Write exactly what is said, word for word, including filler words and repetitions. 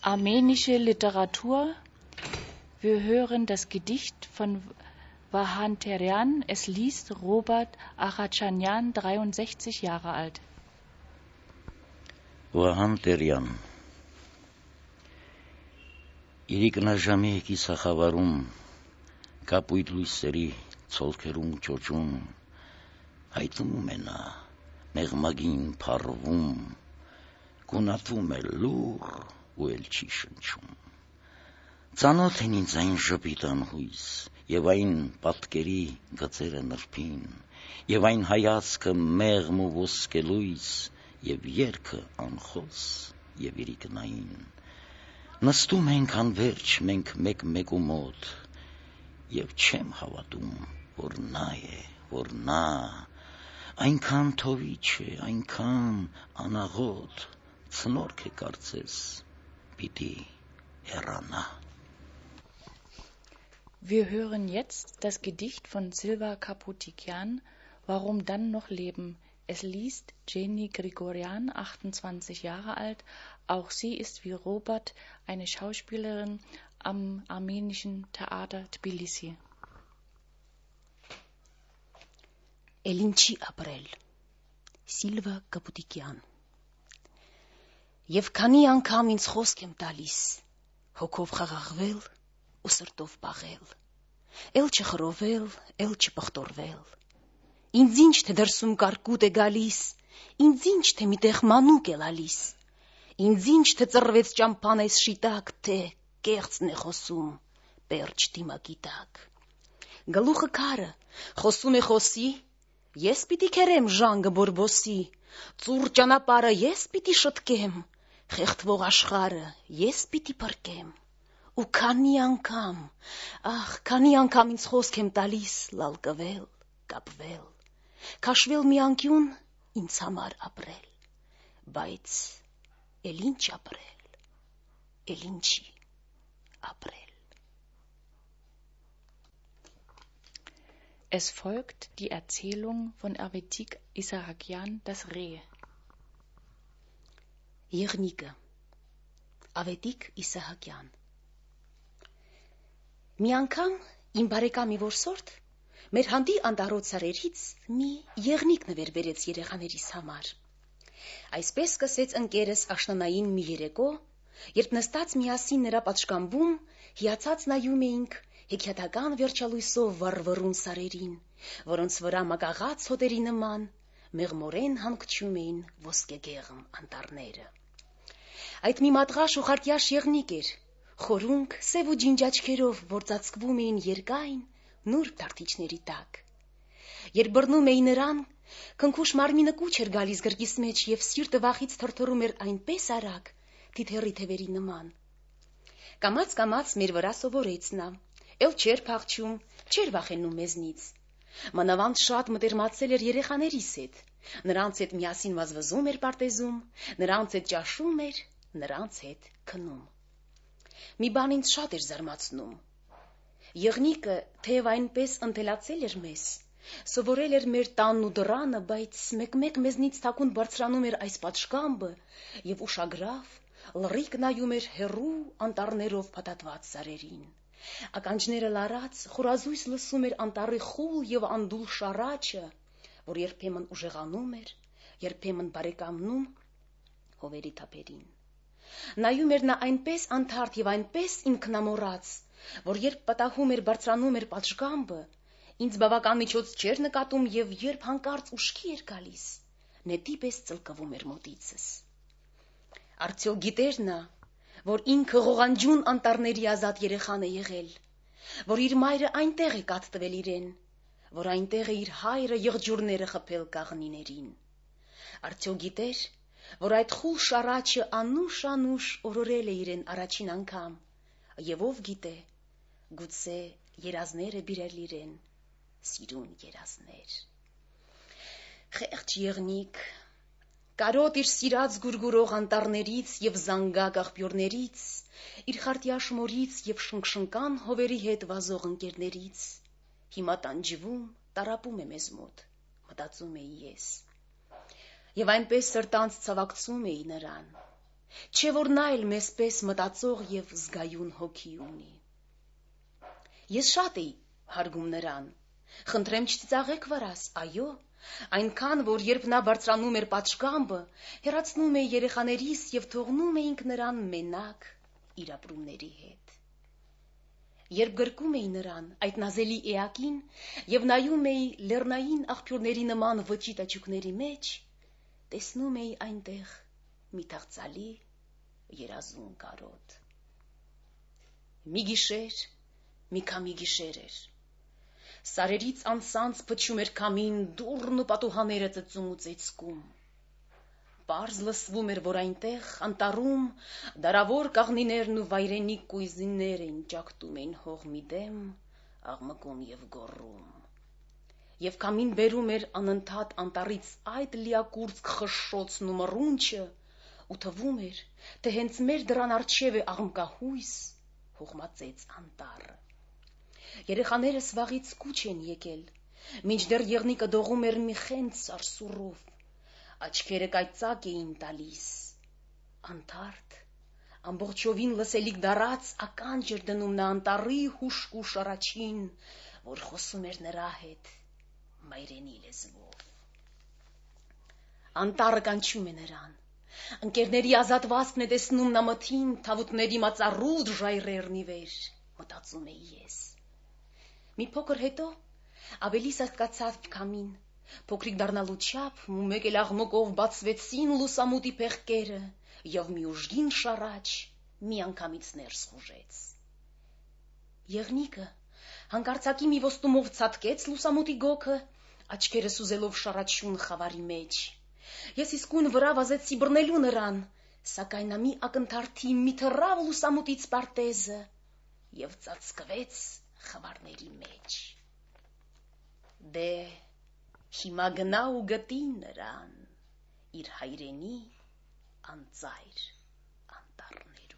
Armenische Literatur. Wir hören das Gedicht von Vahanterian. Es liest Robert Achachanyan, dreiundsechzig Jahre alt. Vahanterian. Իրիկնաժամի կիսախավարում, կապույտ լույսերի ցոլքերում ճոճում, հայտնվում է նա, մեղմագին փառվում, գունատվում է լուռ ու էլ չի շնչում։ Ծանոթ են ինձ այն ժպիտ անհույս, եւ այն պատկերի գծերը նրբին, եւ այն հայացքը մեղմ ու ոսկելույս, եւ երգը անխոս եւ իրիկնային։ Նստում ենք անվերջ մենք մեկ-մեկու մոտ, եւ չեմ հավատում, որ նա է, որ նա, այնքան թովիչ է, այնքան անաղոտ, ցնորք է կարծես, պիտի հեռանա։ Wir hören jetzt das Gedicht von Silva Kaputikian, Warum dann noch leben? Es liest Jenny Grigorian, achtundzwanzig Jahre alt. Auch sie ist wie Robert eine Schauspielerin am armenischen Theater Tbilisi. Էլինչի ապրել Սիլվա Կապուտիկյան Եվ քանի անգամ ինձ խոսք եմ տալիս հոգով խաղաղվել ու սրտով պաղել էլ չխռովել, էլ չպղտորվել ինձ ինչ թե դրսում կարկուտ է գալիս ինձ ինչ թե միտեղ մանուկ է լալիս ինձ ինչ թե ծռվեց ճամփան այս շիտակ թե կեղծն է խոսում պերճ դիմակի տակ գլուխը քարը խոսում է խոսի Ես պիտի քերեմ ժանգը բորբոսի, ծուռ ճանապարհը ես պիտի շտկեմ, խեղդվող աշխարհը ես պիտի փրկեմ, ու քանի անգամ, ախ, քանի անգամ ինձ խոսք եմ տալիս լալկվել, կապվել, քաշվել մի անկյուն ինձ համար ապրել, բայց էլ ինչ ապրել, էլ ինչի ապրել. Es folgt die Erzählung von Avetik Issahakian, das Reh. Եղնիկը Ավետիկ Իսահակյան Մի անգամ իմ բարեկամի որսորդ մեր հանդի անտառոտ սարերից մի եղնիկ նվեր բերեց երեխաներիս համար. Այսպես սկսեց ընկերս աշնանային մի երեկո, երբ նստած միասին նրա պատշգամբում հիացած նայում էինք հեքիաթական վերջալույսով վառվռուն սարերին, որոնց վրա մագաղած հոտերի նման մեղմորեն հանգչում էին ոսկեգեղմ անտառները. Այդ մի մատղաշ ու խարտյաշ եղնիկ էր, խորունկ, սև ու ջինջ աչքերով, որ ծածկվում էին երկայն, նուրբ թարթիչների տակ. Երբ բռնում էի նրան, քնքուշ մարմինը կուչ էր գալիս գրկիս մեջ եւ սիրտը վախից թրթռում էր այնպես արագ, թիթեռի թևերի նման. Կամաց-կամաց մեր վրա սովորեց նա, էլ չէր փախչում, չէր վախենում մեզնից. Մանավանդ շատ մտերմացել էր երեխաներիս հետ, նրանց հետ միասին վազվզում էր պարտեզում, նրանց հետ ճաշում էր, նրանց հետ քնում. Մի բան ինձ շատ էր զարմացնում. Եղնիկը թեև այնպես ընթելացել էր մեզ, սովորել էր մեր տանն ու դռանը, բայց մեկ-մեկ մեզնից թաքուն բարձրանում էր այս պատշգամբը եւ ուշագրավ, լռիկ նայում էր հեռու անտառներով փաթաթված սարերին. Ականջները լարած, խորազույս լսում էր անտառի խուլ եւ անդուլ շարաչը, որ երբեմն ուժեղանում էր, երբեմն բարեկամնում հովերի թափերին. Նայում էր նա այնպես անթարթ եւ այնպես ինքնամոռաց, որ երբ պատահում էր բարձրանում էր պատշգամբը, ինձ բավական միջոց չէր նկատում եւ երբ հանկարծ ուշքի էր գալիս, նետի պես ծլկվում էր մոտիցս. Արդյոք գիտեր նա, որ ինքը ղողանջուն անտառների ազատ երեխան է եղել, որ իր մայրը այնտեղ է կաթ տվել իրեն, որ այնտեղ է իր հայրը եղջյուրները խփել կաղնիներին. Արդյոք գիտեր, որ այդ խուլ շարաչը անուշ-անուշ օրորել է իրեն առաջին անգամ, եւ ով գիտե, գուցե երազներ է բիրել իրեն, սիրուն երազներ. Խեղճ եղնիկ, կարոտ իր սիրած գուրգուրող անտառներից եւ զանգակ աղբյուրներից, իր խարտյաշ մորից եւ շնկշնկան հովերի հետ վազող ընկերներից, հիմա տանջվում, տարապում է մեզ մոտ, մտածում էի ես. Եվ այնպես սրտանց ցավակցում էի նրան, չէ որ նա էլ մեզպես մտածող եւ զգայուն հոգի ունի։ Ես շատ էի հարգում նրան, խնդրեմ չծիծաղեք վրաս, այո, այնքան, որ երբ նա բարձրանում էր պատշգամբը, հեռացնում էի երեխաներիս եւ թողնում էինք նրան մենակ իր ապրումների հետ։ Երբ գրկում էի նրան, այդ նազելի էակին, եւ նայում էի լեռնային աղբյուրների նման վճի տաճուկների մեջ, տեսնում էի այնտեղ մի թախծալի երազուն կարոտ։ Մի գիշեր, մի քամի գիշեր էր։ Սարերից անցանց փչում էր քամին, դուռն ու պատուհաները ծծում ու ծեծկում։ Պարզ լսվում էր, որ այնտեղ, անտառում, դարավոր կաղնիներն ու վայրենի կույզիններ էին ճակտում էին հող մի դեմ, աղմկում եւ գոռում։ Եվ քամին բերում էր անընդհատ անտառից այդ լիակուրծք խշշոցն ու մռունչը, ու թվում էր, թե հենց մեր դռան առջև է աղմկահույս, հողմածեց անտառը։ Երեխաներս վաղից կուչ են եկել, մինչդեռ եղնիկը դողում էր մի խենթ սարսուռով, աչքերը կայծակ էին տալիս, անթարթ, ամբողջովին լսելիք դարած ականջ էր դնում նա անտառի հուշկուշ առաջին, որ խոսում էր նրա հետ մայրենի լեզվով։ Անտառը կանչում է նրան, ընկերների ազատվածքն է տեսնում նա մթին, թավուտների մածառուտ ժայռերն ի վեր, մտածում էի ես։ Մի փոքր հետո ավելի սատկացավ քամին, փոքրիկ դառնալու չափ, ու մեկ էլ աղմկով բացվեցին լուսամուտի փեղկերը, եւ մի ուժգին շառաչ միանգամից ներս խուժեց։ Եղնիկը հանկարծակի մի ոստումով ցատկեց լուսամուտի գոգը, աչքերը սուզելով շառաչուն խավարի մեջ։ Ես իսկույն վրա վազեցի բռնելու նրան, սակայն նա մի ակնթարթի մի թռավ լուսամուտից պարտեզը եւ ծածկվեց խավարների մեջ։ Դե հիմա գնա ու գտի նրան իր հայրենի անծայր անտառներում։